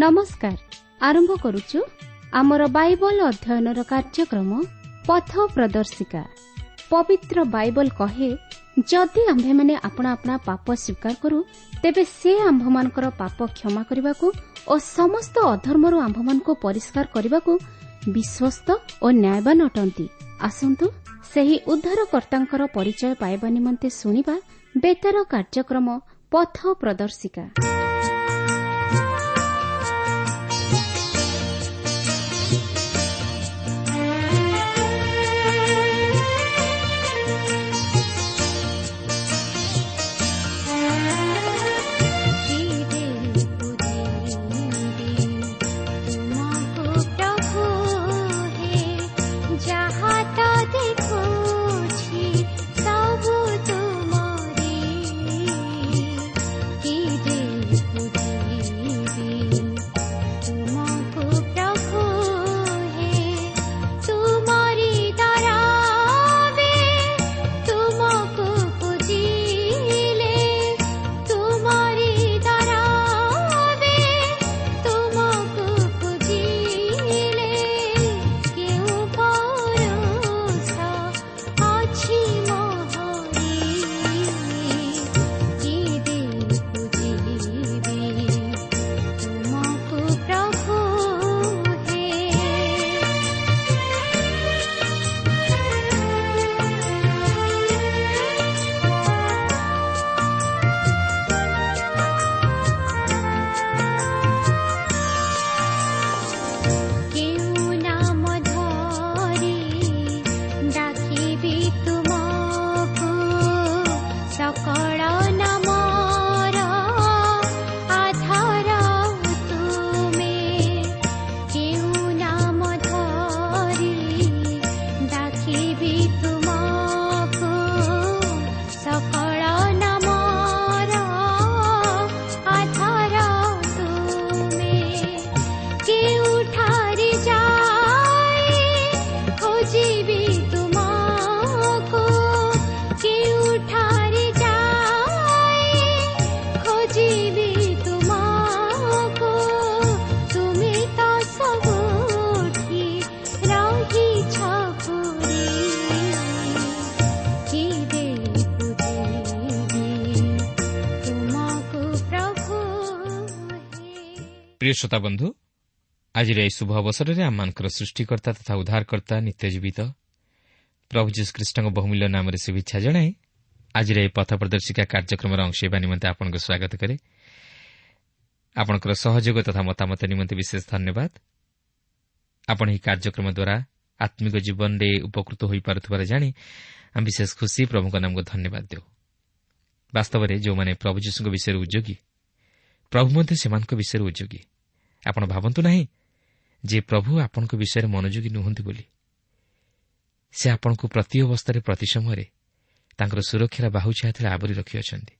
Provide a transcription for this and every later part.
ନମସ୍କାର। ଆରମ୍ଭ କରୁଛୁ ଆମର ବାଇବଲ ଅଧ୍ୟୟନର କାର୍ଯ୍ୟକ୍ରମ ପଥ ପ୍ରଦର୍ଶିକା। ପବିତ୍ର ବାଇବଲ କହେ, ଯଦି ଆମ୍ଭେମାନେ ଆପଣା ଆପଣା ପାପ ସ୍ୱୀକାର କରୁ, ତେବେ ସେ ଆମ୍ଭମାନଙ୍କର ପାପ କ୍ଷମା କରିବାକୁ ଓ ସମସ୍ତ ଅଧର୍ମରୁ ଆମ୍ଭମାନଙ୍କୁ ପରିଷ୍କାର କରିବାକୁ ବିଶ୍ୱସ୍ତ ଓ ନ୍ୟାୟବାନ ଅଟନ୍ତି। ଆସନ୍ତୁ ସେହି ଉଦ୍ଧାରକର୍ତ୍ତାଙ୍କର ପରିଚୟ ପାଇବା ନିମନ୍ତେ ଶୁଣିବା ବେତାର କାର୍ଯ୍ୟକ୍ରମ ପଥ ପ୍ରଦର୍ଶିକା। ପ୍ରିୟ ଶ୍ରୋତା ବନ୍ଧୁ, ଆଜିର ଏହି ଶୁଭ ଅବସରରେ ଆମମାନଙ୍କର ସୃଷ୍ଟିକର୍ତ୍ତା ତଥା ଉଦ୍ଧାରକର୍ତ୍ତା ନିତ୍ୟଜୀବିତ ପ୍ରଭୁ ଯୀଶୁଖ୍ରୀଷ୍ଟଙ୍କ ବହୁମୂଲ୍ୟ ନାମରେ ଶୁଭେଚ୍ଛା ଜଣାଇ ଆଜିର ଏହି ପଥ ପ୍ରଦର୍ଶିକା କାର୍ଯ୍ୟକ୍ରମର ଅଂଶ ହେବା ନିମନ୍ତେ ଆପଣଙ୍କୁ ସ୍ୱାଗତ କରେ। ଆପଣଙ୍କର ସହଯୋଗ ତଥା ମତାମତ ନିମନ୍ତେ ବିଶେଷ ଧନ୍ୟବାଦ। ଆପଣ ଏହି କାର୍ଯ୍ୟକ୍ରମ ଦ୍ୱାରା ଆତ୍ମିକ ଜୀବନରେ ଉପକୃତ ହୋଇପାରୁଥିବାର ଜାଣି ଆମେ ବିଶେଷ ଖୁସି। ପ୍ରଭୁଙ୍କ ନାମକୁ ଧନ୍ୟବାଦ ଦେଉ। ବାସ୍ତବରେ ଯେଉଁମାନେ ପ୍ରଭୁ ଯୀଶୁଙ୍କ ବିଷୟରେ ଉଦ୍ଯୋଗୀ, ପ୍ରଭୁ ମଧ୍ୟ ସେମାନଙ୍କ ବିଷୟରେ ଉଦ୍ଯୋଗୀ। ଆପଣ ଭାବନ୍ତୁ ନାହିଁ ଯେ ପ୍ରଭୁ ଆପଣଙ୍କ ବିଷୟରେ ମନୋଯୋଗୀ ନୁହନ୍ତି ବୋଲି। ସେ ଆପଣଙ୍କୁ ପ୍ରତି ଅବସ୍ଥାରେ, ପ୍ରତି ସମୟରେ ତାଙ୍କର ସୁରକ୍ଷାର ବାହୁ ଛାୟା ଥିଲେ ଆବରି ରଖିଅଛନ୍ତି।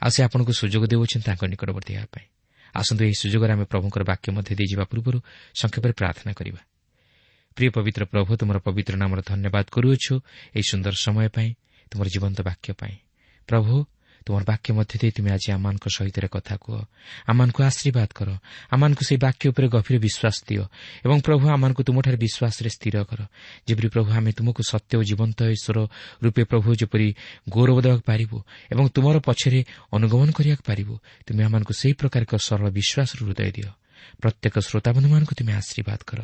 ଆଉ ସେ ଆପଣଙ୍କୁ ସୁଯୋଗ ଦେଉଛନ୍ତି ତାଙ୍କ ନିକଟବର୍ତ୍ତୀ ହେବା ପାଇଁ। ଆସନ୍ତୁ ଏହି ସୁଯୋଗରେ ଆମେ ପ୍ରଭୁଙ୍କର ବାକ୍ୟ ମଧ୍ୟ ଦେଇଯିବା ପୂର୍ବରୁ ସଂକ୍ଷେପରେ ପ୍ରାର୍ଥନା କରିବା। ପ୍ରିୟ ପବିତ୍ର ପ୍ରଭୁ, ତୁମର ପବିତ୍ର ନାମର ଧନ୍ୟବାଦ କରୁଅଛୁ ଏହି ସୁନ୍ଦର ସମୟ ପାଇଁ, ତୁମର ଜୀବନ୍ତ ବାକ୍ୟ ପାଇଁ। ପ୍ରଭୁ, ତୁମର ବାକ୍ୟ ମଧ୍ୟ ଦେଇ ତୁମେ ଆଜି ଆମମାନଙ୍କ ସହିତ କଥା କୁହ, ଆମମାନଙ୍କୁ ଆଶୀର୍ବାଦ କର, ଆମମାନଙ୍କୁ ସେହି ବାକ୍ୟ ଉପରେ ଗଭୀର ବିଶ୍ୱାସ ଦିଅ ଏବଂ ପ୍ରଭୁ ଆମମାନଙ୍କୁ ତୁମଠାରେ ବିଶ୍ୱାସରେ ସ୍ଥିର କର, ଯେପରି ପ୍ରଭୁ ଆମେ ତୁମକୁ ସତ୍ୟ ଓ ଜୀବନ୍ତ ଈଶ୍ୱର ରୂପେ ପ୍ରଭୁ ଯେପରି ଗୌରବ ଦେବାକୁ ପାରିବୁ ଏବଂ ତୁମର ପଛରେ ଅନୁଗମନ କରିବାକୁ ପାରିବୁ। ତୁମେ ଆମମାନଙ୍କୁ ସେହି ପ୍ରକାର ଏକ ସରଳ ବିଶ୍ୱାସର ହୃଦୟ ଦିଅ। ପ୍ରତ୍ୟେକ ଶ୍ରୋତାବନ୍ଧୁମାନଙ୍କୁ ତୁମେ ଆଶୀର୍ବାଦ କର।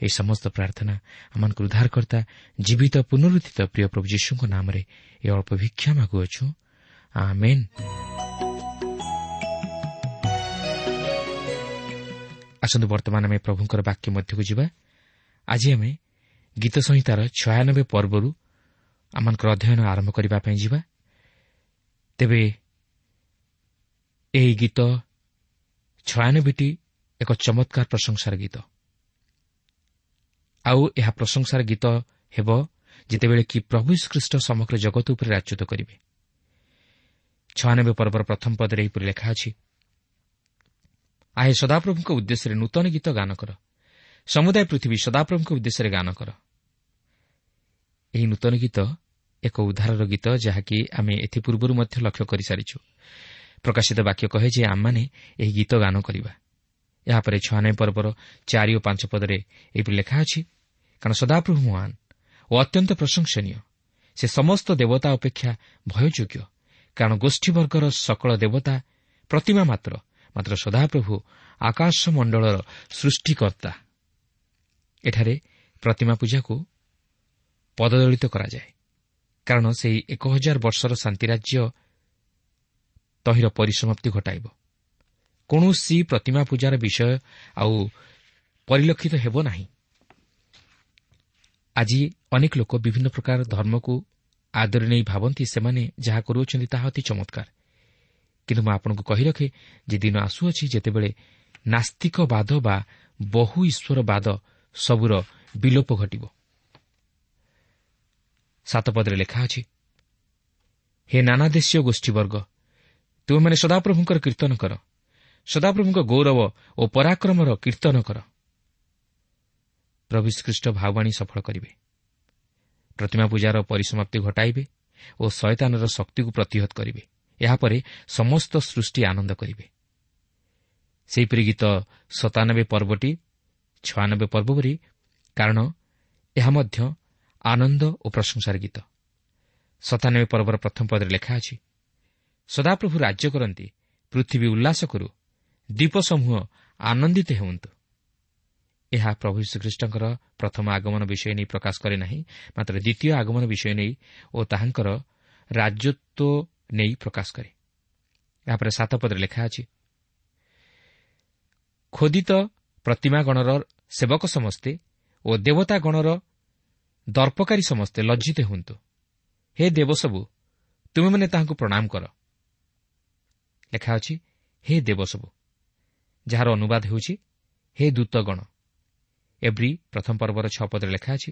ଏହି ସମସ୍ତ ପ୍ରାର୍ଥନା ଆମମାନଙ୍କୁ ଉଦ୍ଧାରକର୍ତ୍ତା ଜୀବିତ ପୁନରୁତ୍ଥିତ ପ୍ରିୟ ପ୍ରଭୁ ଯୀଶୁଙ୍କ ନାମରେ ଏ ଅଳ୍ପ ଭିକ୍ଷା ମାଗୁଅଛୁ, ଆମେନ୍। ଆସନ୍ତୁ ବର୍ତ୍ତମାନ ଆମେ ପ୍ରଭୁଙ୍କର ବାକ୍ୟ ମଧ୍ୟକୁ ଯିବା। ଆଜି ଆମେ ଗୀତ ସଂହିତାର 96 ପର୍ବରୁ ଆମମାନଙ୍କର ଅଧ୍ୟୟନ ଆରମ୍ଭ କରିବା ପାଇଁ ଯିବା। ତେବେ ଏହି ଗୀତ 96ଟି ଏକ ଚମତ୍କାର ପ୍ରଶଂସାର ଗୀତ। ଆଉ ଏହା ପ୍ରଶଂସାର ଗୀତ ହେବ ଯେତେବେଳେ କି ପ୍ରଭୁ ଯୀଶୁଖ୍ରୀଷ୍ଟ ସମଗ୍ର ଜଗତ ଉପରେ ରାଜତ୍ୱ କରିବେ। 96 ପର୍ବର ପ୍ରଥମ ପଦରେ ଏହିପରି ଲେଖା ଅଛି, ଆହେ ସଦାପ୍ରଭୁଙ୍କ ଉଦ୍ଦେଶ୍ୟରେ ନୂତନ ଗୀତ ଗାନ କର, ସମୁଦାୟ ପୃଥିବୀ ସଦାପ୍ରଭୁଙ୍କ ଉଦ୍ଦେଶ୍ୟରେ ଗାନ କର। ଏହି ନୂତନ ଗୀତ ଏକ ଉଦ୍ଧାରର ଗୀତ, ଯାହାକି ଆମେ ଏଥିପୂର୍ବରୁ ମଧ୍ୟ ଲକ୍ଷ୍ୟ କରିସାରିଛୁ। ପ୍ରକାଶିତ ବାକ୍ୟ କହେ ଯେ ଆମମାନେ ଏହି ଗୀତ ଗାନ କରିବା। ଏହାପରେ 96 ପର୍ବର 4 ଓ 5 ପଦରେ ଏହିପରି ଲେଖା ଅଛି, କାରଣ ସଦାପ୍ରଭୁ ମହାନ ଓ ଅତ୍ୟନ୍ତ ପ୍ରଶଂସନୀୟ, ସେ ସମସ୍ତ ଦେବତା ଅପେକ୍ଷା ଭୟଯୋଗ୍ୟ, କାରଣ ଗୋଷ୍ଠୀବର୍ଗର ସକଳ ଦେବତା ପ୍ରତିମା ମାତ୍ର, ମାତ୍ର ସଦାପ୍ରଭୁ ଆକାଶମଣ୍ଡଳର ସୃଷ୍ଟିକର୍ତ୍ତା। ଏଠାରେ ପ୍ରତିମା ପୂଜାକୁ ପଦଦଳିତ କରାଯାଏ, କାରଣ ସେହି 1000 ବର୍ଷର ଶାନ୍ତିରାଜ୍ୟ ତହିଁର ପରିସମାପ୍ତି ଘଟାଇବ। କୌଣସି ପ୍ରତିମା ପୂଜାର ବିଷୟ ଆଉ ପରିଲକ୍ଷିତ ହେବ ନାହିଁ। ଆଜି ଅନେକ ଲୋକ ବିଭିନ୍ନ ପ୍ରକାର ଧର୍ମକୁ ଆଦରି ନେଇ ଭାବନ୍ତି ସେମାନେ ଯାହା କରୁଅଛନ୍ତି ତାହା ଅତି ଚମତ୍କାର। କିନ୍ତୁ ମୁଁ ଆପଣଙ୍କୁ କହି ରଖେ ଯେ ଦିନ ଆସୁଅଛି ଯେତେବେଳେ ନାସ୍ତିକବାଦ ବା ବହୁ ଈଶ୍ୱରବାଦ ସବୁର ବିଲୋପ ଘଟିବ। 7 ପଦରେ ଲେଖା ଅଛି, ହେ ନାନା ଦେଶୀୟ ଗୋଷ୍ଠୀବର୍ଗ, ତୁମେମାନେ ସଦାପ୍ରଭୁଙ୍କର କୀର୍ତ୍ତନ କର, ସଦାପ୍ରଭୁଙ୍କ ଗୌରବ ଓ ପରାକ୍ରମର କୀର୍ତ୍ତନ କର। ପ୍ରଭୁ ଖ୍ରୀଷ୍ଟ ଭାବବାଣୀ ସଫଳ କରିବେ, ପ୍ରତିମା ପୂଜାର ପରିସମାପ୍ତି ଘଟାଇବେ ଓ ଶୟତାନର ଶକ୍ତିକୁ ପ୍ରତିହତ କରିବେ। ଏହାପରେ ସମସ୍ତ ସୃଷ୍ଟି ଆନନ୍ଦ କରିବେ। ସେହିପରି ଗୀତ 97 ପର୍ବଟି 96 ପର୍ବ ପରି, କାରଣ ଏହା ମଧ୍ୟ ଆନନ୍ଦ ଓ ପ୍ରଶଂସାର ଗୀତ। 97 ପର୍ବର ପ୍ରଥମ ପଦରେ ଲେଖା ଅଛି, ସଦାପ୍ରଭୁ ରାଜ୍ୟ କରନ୍ତି, ପୃଥିବୀ ଉଲ୍ଲାସ କରୁ, ଦ୍ୱୀପସମୂହ ଆନନ୍ଦିତ ହେଉନ୍ତୁ। ଏହା ପ୍ରଭୁ ଯୀଶୁଖ୍ରୀଷ୍ଟଙ୍କର ପ୍ରଥମ ଆଗମନ ବିଷୟ ନେଇ ପ୍ରକାଶ କରେ ନାହିଁ, ମାତ୍ର ଦ୍ୱିତୀୟ ଆଗମନ ବିଷୟ ନେଇ ଓ ତାହାଙ୍କର ରାଜତ୍ୱ ନେଇ ପ୍ରକାଶ କରେ। ଏହାପରେ 7 ପଦରେ ଲେଖା ଅଛି, ଖୋଦିତ ପ୍ରତିମାଗଣର ସେବକ ସମସ୍ତେ ଓ ଦେବତାଗଣର ଦର୍ପକାରୀ ସମସ୍ତେ ଲଜ୍ଜିତ ହୁଅନ୍ତୁ। ହେ ଦେବସବୁ, ତୁମେମାନେ ତାହାଙ୍କୁ ପ୍ରଣାମ କର। ଲେଖା ଅଛି ହେ ଦେବସବୁ, ଯାହାର ଅନୁବାଦ ହେଉଛି ହେ ଦୂତଗଣ। ଏବ୍ରୀ ପ୍ରଥମ ପର୍ବର 6 ପଦରେ ଲେଖା ଅଛି,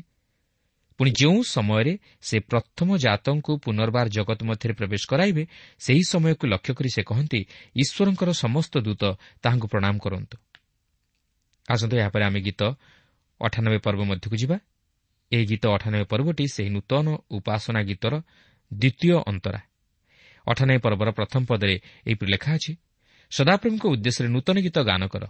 ପୁଣି ଯେଉଁ ସମୟରେ ସେ ପ୍ରଥମ ଜାତଙ୍କୁ ପୁନର୍ବାର ଜଗତ ମଧ୍ୟରେ ପ୍ରବେଶ କରାଇବେ, ସେହି ସମୟକୁ ଲକ୍ଷ୍ୟ କରି ସେ କହନ୍ତି, ଈଶ୍ୱରଙ୍କର ସମସ୍ତ ଦୂତ ତାହାଙ୍କୁ ପ୍ରଣାମ କରନ୍ତୁ। ଆସନ୍ତୁ ଏହାପରେ ଆମେ ଗୀତ 98 ପର୍ବ ମଧ୍ୟକୁ ଯିବା। ଏହି ଗୀତ 98 ପର୍ବଟି ସେହି ନୂତନ ଉପାସନା ଗୀତର ଦ୍ୱିତୀୟ ଅନ୍ତରା। 98 ପର୍ବର ପ୍ରଥମ ପଦରେ ଏହିପରି ଲେଖା ଅଛି, ସଦାପ୍ରଭୁଙ୍କ ଉଦ୍ଦେଶ୍ୟରେ ନୂତନ ଗୀତ ଗାନ କର,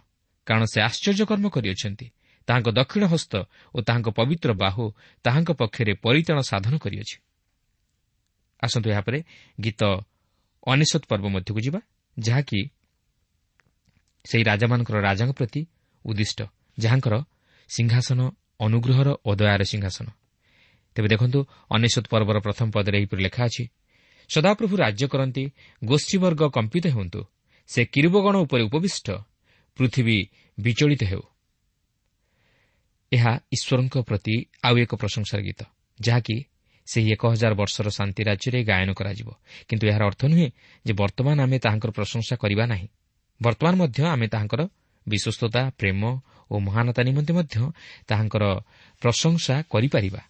କାରଣ ସେ ଆଶ୍ଚର୍ଯ୍ୟକର୍ମ କରିଅଛନ୍ତି। ତାହାଙ୍କ ଦକ୍ଷିଣ ହସ୍ତ ଓ ତାହାଙ୍କ ପବିତ୍ର ବାହୁ ତାହାଙ୍କ ପକ୍ଷରେ ପରିତ୍ରାଣ ସାଧନ କରିଅଛି। ଆସନ୍ତୁ ଏହାପରେ ଗୀତ 99 ପର୍ବ ମଧ୍ୟକୁ ଯିବା, ଯାହାକି ସେହି ରାଜାମାନଙ୍କର ରାଜାଙ୍କ ପ୍ରତି ଉଦ୍ଦିଷ୍ଟ, ଯାହାଙ୍କର ସିଂହାସନ ଅନୁଗ୍ରହର ଓ ଦୟାର ସିଂହାସନ। ତେବେ ଦେଖନ୍ତୁ 99 ପର୍ବର ପ୍ରଥମ ପଦରେ ଏହିପରି ଲେଖା ଅଛି, ସଦାପ୍ରଭୁ ରାଜ୍ୟ କରନ୍ତି, ଗୋଷ୍ଠୀବର୍ଗ କମ୍ପିତ ହୁଅନ୍ତୁ, ସେ କିରୁବଗଣ ଉପରେ ଉପବିଷ୍ଟ, ପୃଥିବୀ ବିଚଳିତ ହେଉ। ଏହା ଈଶ୍ୱରଙ୍କ ପ୍ରତି ଆଉ ଏକ ପ୍ରଶଂସାର ଗୀତ, ଯାହାକି ସେହି 1000 ବର୍ଷର ଶାନ୍ତି ରାଜ୍ୟରେ ଗାୟନ କରାଯିବ। କିନ୍ତୁ ଏହାର ଅର୍ଥ ନୁହେଁ ଯେ ବର୍ତ୍ତମାନ ଆମେ ତାହାଙ୍କର ପ୍ରଶଂସା କରିବା ନାହିଁ। ବର୍ତ୍ତମାନ ମଧ୍ୟ ଆମେ ତାହାଙ୍କର ବିଶ୍ୱସ୍ତତା, ପ୍ରେମ ଓ ମହାନତା ନିମନ୍ତେ ମଧ୍ୟ ତାହାଙ୍କର ପ୍ରଶଂସା କରିପାରିବା।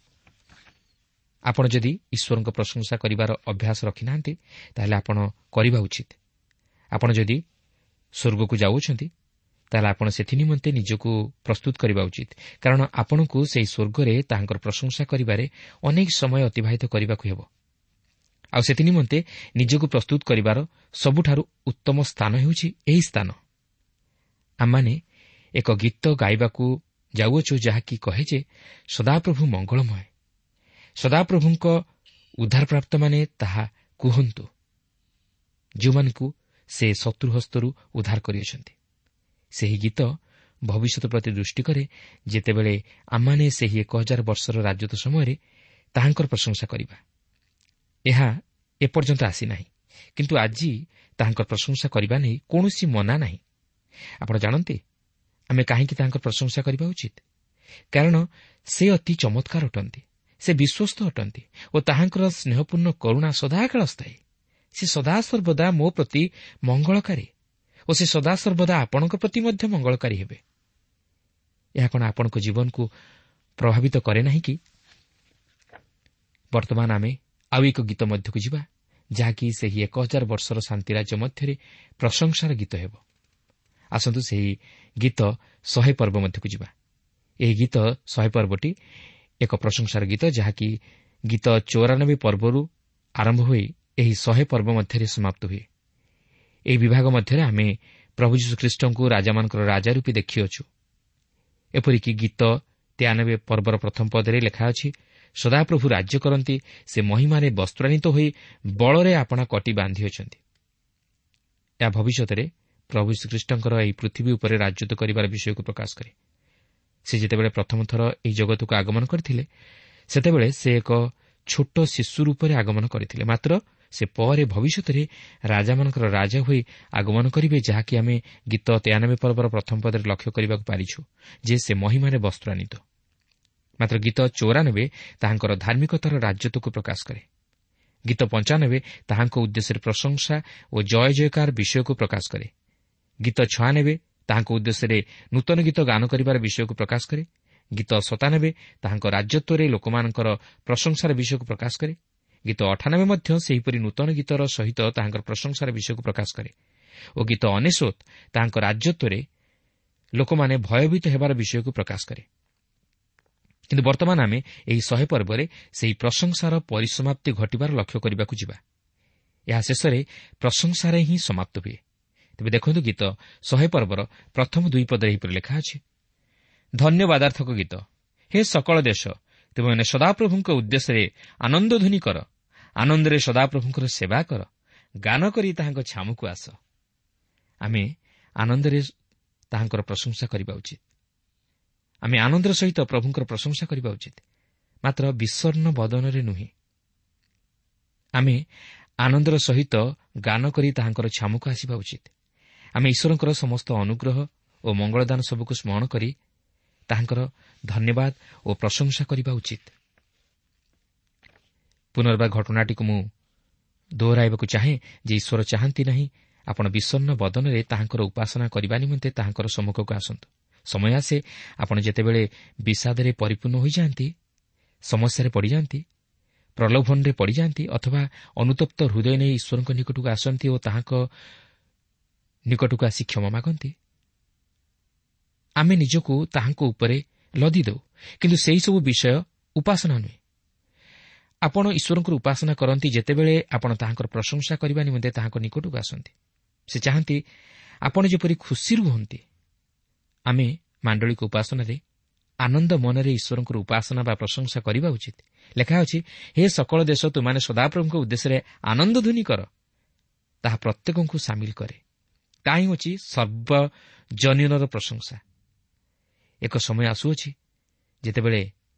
ଆପଣ ଯଦି ଈଶ୍ୱରଙ୍କ ପ୍ରଶଂସା କରିବାର ଅଭ୍ୟାସ ରଖିନାହାନ୍ତି, ତାହେଲେ ଆପଣ କରିବା ଉଚିତ। ଆପଣ ଯଦି ସ୍ୱର୍ଗକୁ ଯାଉଛନ୍ତି, ତାହେଲେ ଆପଣ ସେଥି ନିମନ୍ତେ ନିଜକୁ ପ୍ରସ୍ତୁତ କରିବା ଉଚିତ, କାରଣ ଆପଣଙ୍କୁ ସେହି ସ୍ୱର୍ଗରେ ତାହାଙ୍କର ପ୍ରଶଂସା କରିବାରେ ଅନେକ ସମୟ ଅତିବାହିତ କରିବାକୁ ହେବ। ଆଉ ସେଥି ନିମନ୍ତେ ନିଜକୁ ପ୍ରସ୍ତୁତ କରିବାର ସବୁଠାରୁ ଉତ୍ତମ ସ୍ଥାନ ହେଉଛି ଏହି ସ୍ଥାନ। ଆମମାନେ ଏକ ଗୀତ ଗାଇବାକୁ ଯାଉଅଛୁ, ଯାହାକି କହେ ଯେ ସଦାପ୍ରଭୁ ମଙ୍ଗଳମୟ। ସଦାପ୍ରଭୁଙ୍କ ଉଦ୍ଧାରପ୍ରାପ୍ତମାନେ ତାହା କୁହନ୍ତୁ, ଯେଉଁମାନଙ୍କୁ ସେ ଶତ୍ରୁ ହସ୍ତରୁ ଉଦ୍ଧାର କରିଅଛନ୍ତି। ସେହି ଗୀତ ଭବିଷ୍ୟତ ପ୍ରତି ଦୃଷ୍ଟି କରେ, ଯେତେବେଳେ ଆମମାନେ ସେହି 1000 ବର୍ଷର ରାଜତ୍ୱ ସମୟରେ ତାହାଙ୍କର ପ୍ରଶଂସା କରିବା। ଏହା ଏପର୍ଯ୍ୟନ୍ତ ଆସିନାହିଁ, କିନ୍ତୁ ଆଜି ତାହାଙ୍କର ପ୍ରଶଂସା କରିବା ନେଇ କୌଣସି ମନା ନାହିଁ। ଆପଣ ଜାଣନ୍ତି ଆମେ କାହିଁକି ତାହାଙ୍କର ପ୍ରଶଂସା କରିବା ଉଚିତ? କାରଣ ସେ ଅତି ଚମତ୍କାର ଅଟନ୍ତି, ସେ ବିଶ୍ୱସ୍ତ ଅଟନ୍ତି ଓ ତାହାଙ୍କର ସ୍ନେହପୂର୍ଣ୍ଣ କରୁଣା ସଦାକାଳ ସ୍ଥାୟୀ। ସେ ସଦାସର୍ବଦା ମୋ ପ୍ରତି ମଙ୍ଗଳକାରୀ ଓ ସେ ସଦାସର୍ବଦା ଆପଣଙ୍କ ପ୍ରତି ମଧ୍ୟ ମଙ୍ଗଳକାରୀ ହେବେ। ଏହା କ'ଣ ଆପଣଙ୍କ ଜୀବନକୁ ପ୍ରଭାବିତ କରେ ନାହିଁ କି? ବର୍ତ୍ତମାନ ଆମେ ଆଉ ଏକ ଗୀତ ମଧ୍ୟକୁ ଯିବା, ଯାହାକି ସେହି 1000 ବର୍ଷର ଶାନ୍ତିରାଜ୍ୟ ମଧ୍ୟରେ ପ୍ରଶଂସାର ଗୀତ ହେବ। ଆସନ୍ତୁ ସେହି ଗୀତ 100 ପର୍ବ ମଧ୍ୟକୁ ଯିବା। ଏହି ଗୀତ 100 ପର୍ବଟି ଏକ ପ୍ରଶଂସାର ଗୀତ, ଯାହାକି ଗୀତ 94 ପର୍ବରୁ ଆରମ୍ଭ ହୋଇ ଏହି 100 ପର୍ବ ମଧ୍ୟରେ ସମାପ୍ତ ହୁଏ। ଏହି ବିଭାଗ ମଧ୍ୟରେ ଆମେ ପ୍ରଭୁ ଯୀଶୁଖ୍ରୀଷ୍ଟଙ୍କୁ ରାଜାମାନଙ୍କର ରାଜା ରୂପେ ଦେଖିଅଛୁ। ଏପରିକି ଗୀତ 93 ପର୍ବର ପ୍ରଥମ ପଦରେ ଲେଖା ଅଛି, ସଦାପ୍ରଭୁ ରାଜ୍ୟ କରନ୍ତି, ସେ ମହିମାରେ ବସ୍ତ୍ରାନ୍ୱିତ ହୋଇ ବଳରେ ଆପଣା କଟି ବାନ୍ଧିଅଛନ୍ତି। ଏହା ଭବିଷ୍ୟତରେ ପ୍ରଭୁ ଯୀଶୁଖ୍ରୀଷ୍ଟଙ୍କର ଏହି ପୃଥିବୀ ଉପରେ ରାଜତ୍ୱ କରିବାର ବିଷୟକୁ ପ୍ରକାଶ କରେ। ସେ ଯେତେବେଳେ ପ୍ରଥମ ଥର ଏହି ଜଗତକୁ ଆଗମନ କରିଥିଲେ, ସେତେବେଳେ ସେ ଏକ ଛୋଟ ଶିଶୁ ରୂପରେ ଆଗମନ କରିଥିଲେ। ମାତ୍ର ସେ ପରେ ଭବିଷ୍ୟତରେ ରାଜାମାନଙ୍କର ରାଜା ହୋଇ ଆଗମନ କରିବେ, ଯାହାକି ଆମେ ଗୀତ 93 ପର୍ବର ପ୍ରଥମ ପଦରେ ଲକ୍ଷ୍ୟ କରିବାକୁ ପାରିଛୁ ଯେ ସେ ମହିମାରେ ବସ୍ତ୍ରାନ୍ୱିତ। ମାତ୍ର ଗୀତ 94 ତାହାଙ୍କର ଧାର୍ମିକତାର ରାଜତ୍ୱକୁ ପ୍ରକାଶ କରେ। ଗୀତ 95 ତାହାଙ୍କ ଉଦ୍ଦେଶ୍ୟରେ ପ୍ରଶଂସା ଓ ଜୟ ଜୟକାର ବିଷୟକୁ ପ୍ରକାଶ କରେ। ଗୀତ 96 ତାହାଙ୍କ ଉଦ୍ଦେଶ୍ୟରେ ନୂତନ ଗୀତ ଗାନ କରିବାର ବିଷୟକୁ ପ୍ରକାଶ କରେ। ଗୀତ 97 ତାହାଙ୍କ ରାଜତ୍ୱରେ ଲୋକମାନଙ୍କର ପ୍ରଶଂସାର ବିଷୟକୁ ପ୍ରକାଶ କରେ। ଗୀତ 98 ମଧ୍ୟ ସେହିପରି ନୂତନ ଗୀତର ସହିତ ତାହାଙ୍କର ପ୍ରଶଂସାର ବିଷୟକୁ ପ୍ରକାଶ କରେ ଓ ଗୀତ 99 ତାହାଙ୍କ ରାଜତ୍ୱରେ ଲୋକମାନେ ଭୟଭୀତ ହେବାର ବିଷୟକୁ ପ୍ରକାଶ କରେ। କିନ୍ତୁ ବର୍ତ୍ତମାନ ଆମେ ଏହି 100 ପର୍ବରେ ସେହି ପ୍ରଶଂସାର ପରିସମାପ୍ତି ଘଟିବାର ଲକ୍ଷ୍ୟ କରିବାକୁ ଯିବା। ଏହା ଶେଷରେ ପ୍ରଶଂସାରେ ହିଁ ସମାପ୍ତ ହୁଏ। ତେବେ ଦେଖନ୍ତୁ ଗୀତ 100 ପର୍ବର ପ୍ରଥମ 2 ପଦରେ ଏହିପରି ଲେଖା ଅଛି, ଧନ୍ୟବାଦାର୍ଥକ ଗୀତ। ହେ ସକଳ ଦେଶ, ତୁମେମାନେ ସଦାପ୍ରଭୁଙ୍କ ଉଦ୍ଦେଶ୍ୟରେ ଆନନ୍ଦଧ୍ୱନି କର, ଆନନ୍ଦରେ ସଦାପ୍ରଭୁଙ୍କର ସେବା କର, ଗାନ କରି ତାହାଙ୍କ ଛାମୁକୁ ଆସ। ଆମେ ଆନନ୍ଦରେ ତାହାଙ୍କର ପ୍ରଶଂସା କରିବା ଉଚିତ। ଆମେ ଆନନ୍ଦର ସହିତ ପ୍ରଭୁଙ୍କର ପ୍ରଶଂସା କରିବା ଉଚିତ, ମାତ୍ର ବିଷଣ୍ଣ ବଦନରେ ନୁହେଁ। ଆମେ ଆନନ୍ଦର ସହିତ ଗାନ କରି ତାହାଙ୍କର ଛାମୁକୁ ଆସିବା ଉଚିତ। ଆମେ ଈଶ୍ୱରଙ୍କର ସମସ୍ତ ଅନୁଗ୍ରହ ଓ ମଙ୍ଗଳଦାନ ସବୁକୁ ସ୍ମରଣ କରି ତାହାଙ୍କର ଧନ୍ୟବାଦ ଓ ପ୍ରଶଂସା କରିବା ଉଚିତ। ପୁନର୍ବାର ଘଟଣାଟିକୁ ମୁଁ ଦୋହରାଇବାକୁ ଚାହେଁ ଯେ ଈଶ୍ୱର ଚାହାନ୍ତି ନାହିଁ ଆପଣ ବିଷଣ୍ଣ ବଦନରେ ତାହାଙ୍କର ଉପାସନା କରିବା ନିମନ୍ତେ ତାହାଙ୍କର ସମ୍ମୁଖକୁ ଆସନ୍ତୁ। ସମୟ ଆସେ ଆପଣ ଯେତେବେଳେ ବିଷାଦରେ ପରିପୂର୍ଣ୍ଣ ହୋଇଯାଆନ୍ତି, ସମସ୍ୟାରେ ପଡ଼ିଯାଆନ୍ତି, ପ୍ରଲୋଭନରେ ପଡ଼ିଯାଆନ୍ତି ଅଥବା ଅନୁତପ୍ତ ହୃଦୟ ନେଇ ଈଶ୍ୱରଙ୍କ ନିକଟକୁ ଆସନ୍ତି ଓ ତାହାଙ୍କ ନିକଟକୁ ଆସି କ୍ଷମା ମାଗନ୍ତି, ଆମେ ନିଜକୁ ତାହାଙ୍କ ଉପରେ ଲଦି ଦେଉ। କିନ୍ତୁ ସେହିସବୁ ବିଷୟ ଉପାସନା ନୁହେଁ। ଆପଣ ଈଶ୍ୱରଙ୍କର ଉପାସନା କରନ୍ତି ଯେତେବେଳେ ଆପଣ ତାହାଙ୍କର ପ୍ରଶଂସା କରିବା ନିମନ୍ତେ ତାହାଙ୍କ ନିକଟକୁ ଆସନ୍ତି। ସେ ଚାହାନ୍ତି ଆପଣ ଯେପରି ଖୁସି ରୁହନ୍ତି। ଆମେ ମାଣ୍ଡଳିକ ଉପାସନାରେ ଆନନ୍ଦ ମନରେ ଈଶ୍ୱରଙ୍କର ଉପାସନା ବା ପ୍ରଶଂସା କରିବା ଉଚିତ। ଲେଖା ଅଛି, ହେ ସକଳ ଦେଶ, ତୁମାନେ ସଦାପ୍ରଭୁଙ୍କ ଉଦ୍ଦେଶ୍ୟରେ ଆନନ୍ଦଧ୍ୱନି କର। ତାହା ପ୍ରତ୍ୟେକଙ୍କୁ ସାମିଲ କରେ। ତାହା ହିଁ ହେଉଛି ସର୍ବଜନୀନର ପ୍ରଶଂସା। ଏକ ସମୟ ଆସୁଅଛି ଯେତେବେଳେ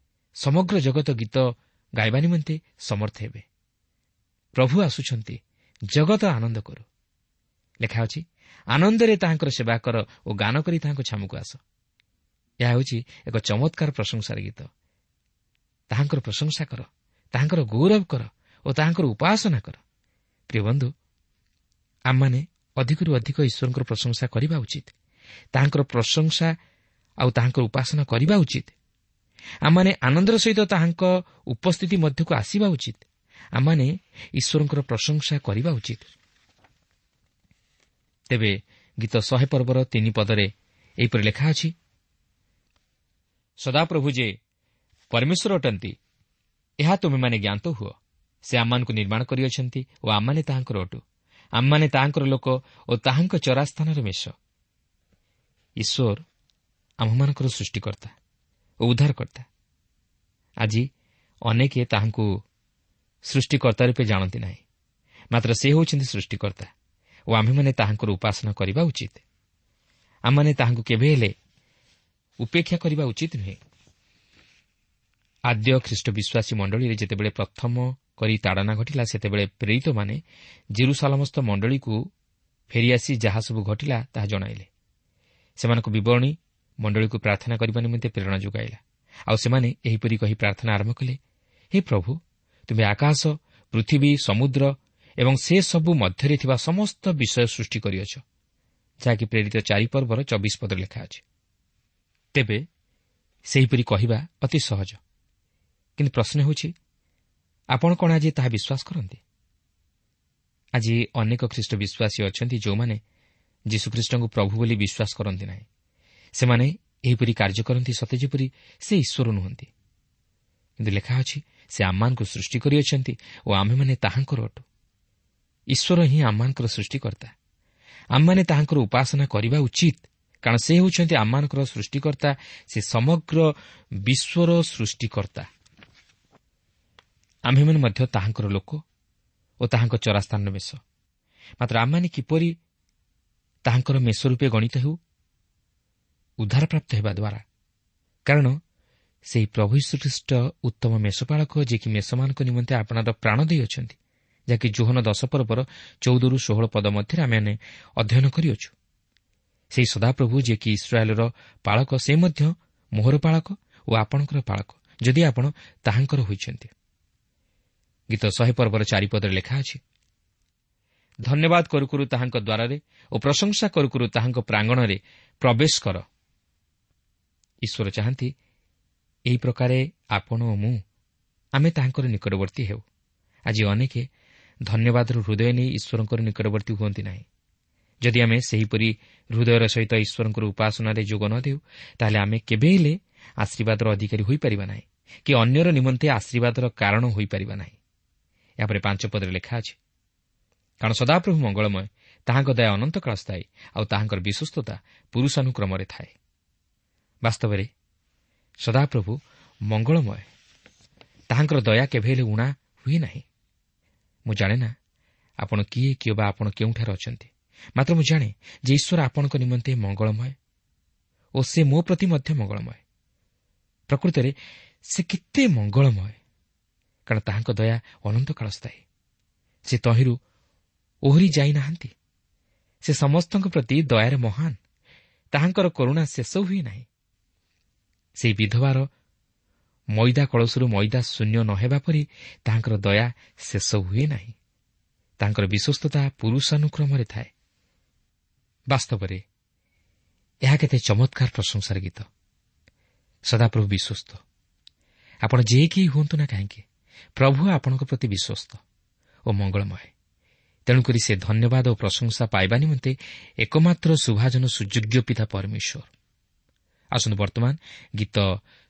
ସମଗ୍ର ଜଗତ ଗୀତ ଗାଇବା ନିମନ୍ତେ ସମର୍ଥ ହେବେ। ପ୍ରଭୁ ଆସୁଛନ୍ତି, ଜଗତ ଆନନ୍ଦ କରୁ। ଲେଖା ଅଛି, ଆନନ୍ଦରେ ତାହାଙ୍କର ସେବା କର ଓ ଗାନ କରି ତାହାଙ୍କ ଛାମୁକୁ ଆସ। ଏହା ହେଉଛି ଏକ ଚମତ୍କାର ପ୍ରଶଂସାର ଗୀତ। ତାହାଙ୍କର ପ୍ରଶଂସା କର, ତାହାଙ୍କର ଗୌରବ କର ଓ ତାହାଙ୍କର ଉପାସନା କର। ପ୍ରିୟ ବନ୍ଧୁ, ଆମମାନେ ଅଧିକରୁ ଅଧିକ ଈଶ୍ୱରଙ୍କର ପ୍ରଶଂସା କରିବା ଉଚିତ। ତାହାଙ୍କର ପ୍ରଶଂସା ଆଉ ତାହାଙ୍କର ଉପାସନା କରିବା ଉଚିତ। ଆମମାନେ ଆନନ୍ଦର ସହିତ ତାହାଙ୍କ ଉପସ୍ଥିତି ମଧ୍ୟକୁ ଆସିବା ଉଚିତ। ଆମମାନେ ଈଶ୍ୱରଙ୍କର ପ୍ରଶଂସା କରିବା ଉଚିତ। ତେବେ ଗୀତ 100 ପର୍ବର 3 ପଦରେ ଏହିପରି ଲେଖା ଅଛି, ସଦାପ୍ରଭୁ ଯେ ପରମେଶ୍ୱର ଅଟନ୍ତି, ଏହା ତୁମେମାନେ ଜ୍ଞାତ ହୁଅ। ସେ ଆମମାନଙ୍କୁ ନିର୍ମାଣ କରିଅଛନ୍ତି ଓ ଆମମାନେ ତାହାଙ୍କର ଅଟୁ। ଆମମାନେ ତାହାଙ୍କର ଲୋକ ଓ ତାହାଙ୍କ ଚରାସ୍ଥାନର ମେଷ। ଈଶ୍ୱର ଆମ୍ଭମାନଙ୍କର ସୃଷ୍ଟିକର୍ତ୍ତା ଓ ଉଦ୍ଧାରକର୍ତ୍ତା। ଆଜି ଅନେକେ ତାହାଙ୍କୁ ସୃଷ୍ଟିକର୍ତ୍ତା ରୂପେ ଜାଣନ୍ତି ନାହିଁ, ମାତ୍ର ସେ ହେଉଛନ୍ତି ସୃଷ୍ଟିକର୍ତ୍ତା ଓ ଆମ୍ଭେମାନେ ତାହାଙ୍କର ଉପାସନା କରିବା ଉଚିତ। ଆମମାନେ ତାହାଙ୍କୁ କେବେ ହେଲେ ଉପେକ୍ଷା କରିବା ଉଚିତ ନୁହେଁ। ଆଦ୍ୟ ଖ୍ରୀଷ୍ଟ ବିଶ୍ୱାସୀ ମଣ୍ଡଳୀରେ ଯେତେବେଳେ ପ୍ରଥମ କରି ତାଡ଼ନା ଘଟିଲା, ସେତେବେଳେ ପ୍ରେରିତମାନେ ଜେରୁସାଲମସ୍ଥ ମଣ୍ଡଳୀକୁ ଫେରିଆସି ଯାହା ସବୁ ଘଟିଲା ତାହା ଜଣାଇଲେ। ସେମାନଙ୍କ ବିବରଣୀ ମଣ୍ଡଳୀକୁ ପ୍ରାର୍ଥନା କରିବା ନିମନ୍ତେ ପ୍ରେରଣା ଯୋଗାଇଲା। ଆଉ ସେମାନେ ଏହିପରି କହି ପ୍ରାର୍ଥନା ଆରମ୍ଭ କଲେ, ହେ ପ୍ରଭୁ, ତୁମେ ଆକାଶ, ପୃଥିବୀ, ସମୁଦ୍ର ଏବଂ ସେସବୁ ମଧ୍ୟରେ ଥିବା ସମସ୍ତ ବିଷୟ ସୃଷ୍ଟି କରିଅଛ, ଯାହାକି ପ୍ରେରିତ 4 ପର୍ବର 24 ପଦରେ ଲେଖା ଅଛି। ତେବେ ସେହିପରି କହିବା ଅତି ସହଜ, କିନ୍ତୁ ପ୍ରଶ୍ନ ହେଉଛି, ଆପଣ କ'ଣ ଆଜି ତାହା ବିଶ୍ୱାସ କରନ୍ତି? ଆଜି ଅନେକ ଖ୍ରୀଷ୍ଟ ବିଶ୍ୱାସୀ ଅଛନ୍ତି ଯେଉଁମାନେ ଯୀଶୁଖ୍ରୀଷ୍ଟଙ୍କୁ ପ୍ରଭୁ ବୋଲି ବିଶ୍ୱାସ କରନ୍ତି ନାହିଁ। ସେମାନେ ଏହିପରି କାର୍ଯ୍ୟ କରନ୍ତି ସତେ ଯେପରି ସେ ଈଶ୍ୱର ନୁହନ୍ତି। କିନ୍ତୁ ଲେଖା ଅଛି, ସେ ଆମମାନଙ୍କୁ ସୃଷ୍ଟି କରିଅଛନ୍ତି ଓ ଆମ୍ଭେମାନେ ତାହାଙ୍କର ଅଟୁ। ଈଶ୍ୱର ହିଁ ଆମମାନଙ୍କର ସୃଷ୍ଟିକର୍ତ୍ତା। ଆମମାନେ ତାହାଙ୍କର ଉପାସନା କରିବା ଉଚିତ, କାରଣ ସେ ହେଉଛନ୍ତି ଆମମାନଙ୍କର ସୃଷ୍ଟିକର୍ତ୍ତା, ସେ ସମଗ୍ର ବିଶ୍ୱର ସୃଷ୍ଟିକର୍ତ୍ତା। ଆମ୍ଭେମାନେ ମଧ୍ୟ ତାହାଙ୍କର ଲୋକ ଓ ତାହାଙ୍କ ଚରାସ୍ଥାନର ମେଷ। ମାତ୍ର ଆମମାନେ କିପରି ତାହାଙ୍କର ମେଷ ରୂପେ ଗଣିତ ହେଉ? ଉଦ୍ଧାରପ୍ରାପ୍ତ ହେବା ଦ୍ୱାରା। କାରଣ ସେହି ପ୍ରଭୁ ଯୀଶୁଖ୍ରୀଷ୍ଟ ଉତ୍ତମ ମେଷପାଳକ, ଯିଏକି ମେଷମାନଙ୍କ ନିମନ୍ତେ ଆପଣାର ପ୍ରାଣ ଦେଇଅଛନ୍ତି, ଯାହାକି ଯୋହନ 10 ପର୍ବର 14-16 ପଦ ମଧ୍ୟରେ ଆମେମାନେ ଅଧ୍ୟୟନ କରିଅଛୁ। ସେହି ସଦାପ୍ରଭୁ ଯିଏକି ଇସ୍ରାଏଲର ପାଳକ, ସେ ମଧ୍ୟ ମୋହର ପାଳକ ଓ ଆପଣଙ୍କର ପାଳକ, ଯଦି ଆପଣ ତାହାଙ୍କର ହୋଇଛନ୍ତି। ଗୀତ 100 ପର୍ବର 4 ପଦରେ ଲେଖା ଅଛି, ଧନ୍ୟବାଦ କରୁ କରୁ ତାହାଙ୍କ ଦ୍ୱାରରେ ଓ ପ୍ରଶଂସା କରୁ କରୁ ତାହାଙ୍କ ପ୍ରାଙ୍ଗଣରେ ପ୍ରବେଶ କର। ଈଶ୍ୱର ଚାହାନ୍ତି ଏହି ପ୍ରକାରେ ଆପଣ ଓ ମୁଁ ଆମେ ତାହାଙ୍କର ନିକଟବର୍ତ୍ତୀ ହେଉ। ଆଜି ଅନେକେ ଧନ୍ୟବାଦର ହୃଦୟ ନେଇ ଈଶ୍ୱରଙ୍କର ନିକଟବର୍ତ୍ତୀ ହୁଅନ୍ତି ନାହିଁ। ଯଦି ଆମେ ସେହିପରି ହୃଦୟର ସହିତ ଈଶ୍ୱରଙ୍କର ଉପାସନାରେ ଯୋଗ ନ ଦେଉ, ତାହେଲେ ଆମେ କେବେ ହେଲେ ଆଶୀର୍ବାଦର ଅଧିକାରୀ ହୋଇପାରିବା ନାହିଁ କି ଅନ୍ୟର ନିମନ୍ତେ ଆଶୀର୍ବାଦର କାରଣ ହୋଇପାରିବା ନାହିଁ। ଏହାପରେ 5 ପଦରେ ଲେଖା ଅଛି, କାରଣ ସଦାପ୍ରଭୁ ମଙ୍ଗଳମୟ, ତାହାଙ୍କ ଦୟା ଅନନ୍ତକାଳ ସ୍ଥାୟୀ, ଆଉ ତାହାଙ୍କର ବିଶ୍ୱସ୍ତତା ପୁରୁଷାନୁକ୍ରମରେ ଥାଏ। ବାସ୍ତବରେ ସଦାପ୍ରଭୁ ମଙ୍ଗଳମୟ, ତାହାଙ୍କର ଦୟା କେବେ ହେଲେ ଊଣା ହୁଏ ନାହିଁ। ମୁଁ ଜାଣେ ନା ଆପଣ କିଏ କିମ୍ବା ଆପଣ କେଉଁଠାରେ ଅଛନ୍ତି, ମାତ୍ର ମୁଁ ଜାଣେ ଯେ ଈଶ୍ୱର ଆପଣଙ୍କ ନିମନ୍ତେ ମଙ୍ଗଳମୟ ଓ ସେ ମୋ ପ୍ରତି ମଧ୍ୟ ମଙ୍ଗଳମୟ। ପ୍ରକୃତରେ ସେ କେତେ ମଙ୍ଗଳମୟ, କାରଣ ତାହାଙ୍କ ଦୟା ଅନନ୍ତକାଳ ସ୍ଥାୟୀ। ସେ ତହିଁରୁ ଓହରି ଯାଇନାହାନ୍ତି। ସେ ସମସ୍ତଙ୍କ ପ୍ରତି ଦୟାରେ ମହାନ, ତାହାଙ୍କର କରୁଣା ଶେଷ ହୁଏ ନାହିଁ। ସେହି ବିଧବାର ମଇଦା କଳସରୁ ମଇଦା ଶୂନ୍ୟ ନ ହେବା ପରି ତାହାଙ୍କର ଦୟା ଶେଷ ହୁଏ ନାହିଁ। ତାଙ୍କର ବିଶ୍ୱସ୍ତତା ପୁରୁଷାନୁକ୍ରମରେ ଥାଏ। ବାସ୍ତବରେ ଏହା କେତେ ଚମତ୍କାର ପ୍ରଶଂସାର ଗୀତ। ସଦାପ୍ରଭୁ ବିଶ୍ୱସ୍ତ। ଆପଣ ଯେ କେହି ହୁଅନ୍ତୁ ନା କାହିଁକି, ପ୍ରଭୁ ଆପଣଙ୍କ ପ୍ରତି ବିଶ୍ୱସ୍ତ ଓ ମଙ୍ଗଳମୟ। ତେଣୁକରି ସେ ଧନ୍ୟବାଦ ଓ ପ୍ରଶଂସା ପାଇବା ନିମନ୍ତେ ଏକମାତ୍ର ସୁଭାଜନ ସୁଯୋଗ୍ୟ ପିତା ପରମେଶ୍ୱର। ଆସନ୍ତୁ ବର୍ତ୍ତମାନ ଗୀତ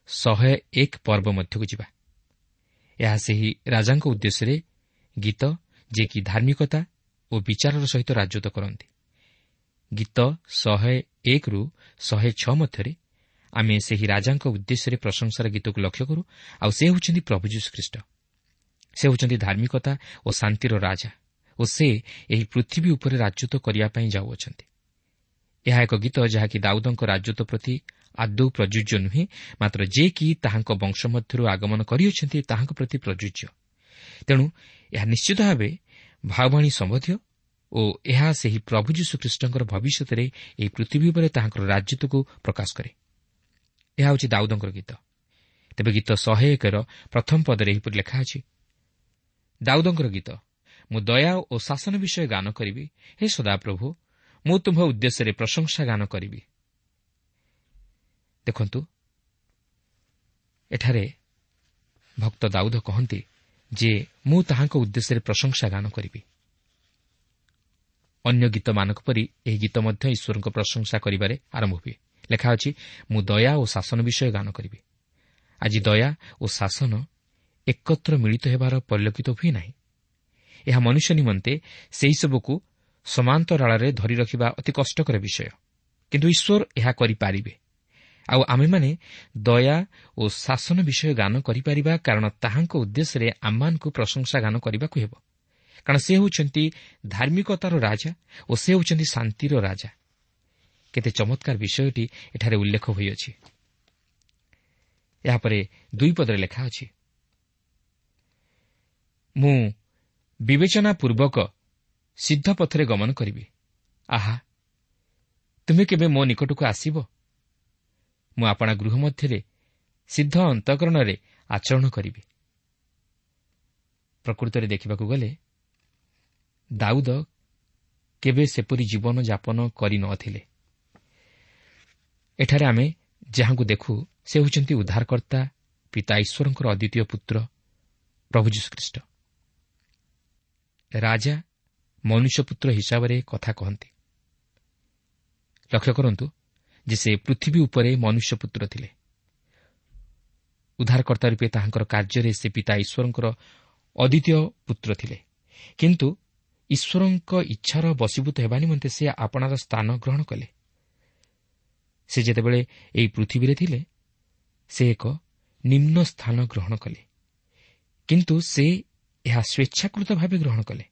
101 ପର୍ବ ମଧ୍ୟକୁ ଯିବା। ଏହା ସେହି ରାଜାଙ୍କ ଉଦ୍ଦେଶ୍ୟରେ ଗୀତ, ଯିଏକି ଧାର୍ମିକତା ଓ ବିଚାରର ସହିତ ରାଜତ୍ୱ କରନ୍ତି। ଗୀତ 101ରୁ 106 ମଧ୍ୟରେ ଆମେ ସେହି ରାଜାଙ୍କ ଉଦ୍ଦେଶ୍ୟରେ ପ୍ରଶଂସାର ଗୀତକୁ ଲକ୍ଷ୍ୟ କରୁ, ଆଉ ସେ ହେଉଛନ୍ତି ପ୍ରଭୁ ଯୀଶୁଖ୍ରୀଷ୍ଟ। ସେ ହେଉଛନ୍ତି ଧାର୍ମିକତା ଓ ଶାନ୍ତିର ରାଜା ଓ ସେ ଏହି ପୃଥିବୀ ଉପରେ ରାଜତ୍ୱ କରିବା ପାଇଁ ଯାଉଅଛନ୍ତି। ଏହା ଏକ ଗୀତ ଯାହାକି ଦାଉଦଙ୍କ ରାଜତ୍ୱ ପ୍ରତି ଆଦୌ ପ୍ରଯୁଜ୍ୟ ନୁହେଁ, ମାତ୍ର ଯେ କି ତାହାଙ୍କ ବଂଶ ମଧ୍ୟରୁ ଆଗମନ କରିଅଛନ୍ତି ତାହାଙ୍କ ପ୍ରତି ପ୍ରଯୁଜ୍ୟ। ତେଣୁ ଏହା ନିଶ୍ଚିତ ଭାବେ ଭାବବାଣୀ ସମ୍ବନ୍ଧୀୟ ଓ ଏହା ସେହି ପ୍ରଭୁ ଯୀଶୁଖ୍ରୀଷ୍ଟଙ୍କର ଭବିଷ୍ୟତରେ ଏହି ପୃଥିବୀ ଉପରେ ତାହାଙ୍କର ରାଜତ୍ୱକୁ ପ୍ରକାଶ କରେ। ଏହା ହେଉଛି ଦାଉଦଙ୍କର ଗୀତ। ତେବେ ଗୀତ 101ର ପ୍ରଥମ ପଦରେ ଏହିପରି ଲେଖା ଅଛି, ଦାଉଦଙ୍କର ଗୀତ, ମୁଁ ଦୟା ଓ ଶାସନ ବିଷୟ ଗାନ କରିବି, ହେ ସଦାପ୍ରଭୁ, ମୁଁ ତୁମ୍ଭ ଉଦ୍ଦେଶ୍ୟରେ ପ୍ରଶଂସା ଗାନ କରିବି। ଦେଖନ୍ତୁ, ଏଠାରେ ଭକ୍ତ ଦାଉଦ କହନ୍ତି ଯେ ମୁଁ ତାହାଙ୍କ ଉଦ୍ଦେଶ୍ୟରେ ପ୍ରଶଂସା ଗାନ କରିବି। ଅନ୍ୟ ଗୀତମାନଙ୍କ ପରି ଏହି ଗୀତ ମଧ୍ୟ ଈଶ୍ୱରଙ୍କ ପ୍ରଶଂସା କରିବାରେ ଆରମ୍ଭ ହୁଏ। ଲେଖା ଅଛି, ମୁଁ ଦୟା ଓ ଶାସନ ବିଷୟ ଗାନ କରିବି। ଆଜି ଦୟା ଓ ଶାସନ ଏକତ୍ର ମିଳିତ ହେବାର ପରିଲକ୍ଷିତ ହୁଏ ନାହିଁ। ଏହା ମନୁଷ୍ୟ ନିମନ୍ତେ ସେହିସବୁକୁ ସମାନ୍ତରାଳରେ ଧରି ରଖିବା ଅତି କଷ୍ଟକର ବିଷୟ, କିନ୍ତୁ ଈଶ୍ୱର ଏହା କରିପାରିବେ। ଆଉ ଆମେମାନେ ଦୟା ଓ ଶାସନ ବିଷୟ ଗାନ କରିପାରିବା, କାରଣ ତାହାଙ୍କ ଉଦ୍ଦେଶ୍ୟରେ ଆମମାନଙ୍କୁ ପ୍ରଶଂସା ଗାନ କରିବାକୁ ହେବ। କାରଣ ସେ ହେଉଛନ୍ତି ଧାର୍ମିକତାର ରାଜା ଓ ସେ ହେଉଛନ୍ତି ଶାନ୍ତିର ରାଜା। କେତେ ଚମତ୍କାର ବିଷୟଟି ଏଠାରେ ଉଲ୍ଲେଖ ହୋଇଅଛି। ଏହାପରେ 2 ପଦରେ ଲେଖା ଅଛି, ମୁଁ ବିବେଚନା ପୂର୍ବକ ସିଦ୍ଧ ପଥରେ ଗମନ କରିବି। ଆହା, ତୁମେ କେବେ ମୋ ନିକଟକୁ ଆସିବ? ମୁଁ ଆପଣା ଗୃହ ମଧ୍ୟରେ ସିଦ୍ଧ ଅନ୍ତଃକରଣରେ ଆଚରଣ କରିବି। ପ୍ରକୃତରେ ଦେଖିବାକୁ ଗଲେ ଦାଉଦ କେବେ ସେପରି ଜୀବନ ଯାପନ କରିନଥିଲେ। ଏଠାରେ ଆମେ ଯାହାଙ୍କୁ ଦେଖୁ ସେ ହେଉଛନ୍ତି ଉଦ୍ଧାରକର୍ତ୍ତା ପିତା ଈଶ୍ୱରଙ୍କର ଅଦ୍ୱିତୀୟ ପୁତ୍ର ପ୍ରଭୁ ଯୀଶୁଖ୍ରୀଷ୍ଟ। ରାଜା ମନୁଷ୍ୟପୁତ୍ର ହିସାବରେ କଥା କହନ୍ତି। ଲକ୍ଷ୍ୟ କରନ୍ତୁ ଯେ ସେ ପୃଥିବୀ ଉପରେ ମନୁଷ୍ୟପୁତ୍ର ଥିଲେ। ଉଦ୍ଧାରକର୍ତ୍ତା ରୂପେ ତାହାଙ୍କର କାର୍ଯ୍ୟରେ ସେ ପିତା ଈଶ୍ୱରଙ୍କର ଅଦ୍ୱିତୀୟ ପୁତ୍ର ଥିଲେ, କିନ୍ତୁ ଈଶ୍ୱରଙ୍କ ଇଚ୍ଛାର ବଶୀଭୂତ ହେବା ନିମନ୍ତେ ସେ ଆପଣାର ସ୍ଥାନ ଗ୍ରହଣ କଲେ। ସେ ଯେତେବେଳେ ଏହି ପୃଥିବୀରେ ଥିଲେ, ସେ ଏକ ନିମ୍ନ ସ୍ଥାନ ଗ୍ରହଣ କଲେ, କିନ୍ତୁ ସେ ଏହା ସ୍ୱେଚ୍ଛାକୃତ ଭାବେ ଗ୍ରହଣ କଲେ।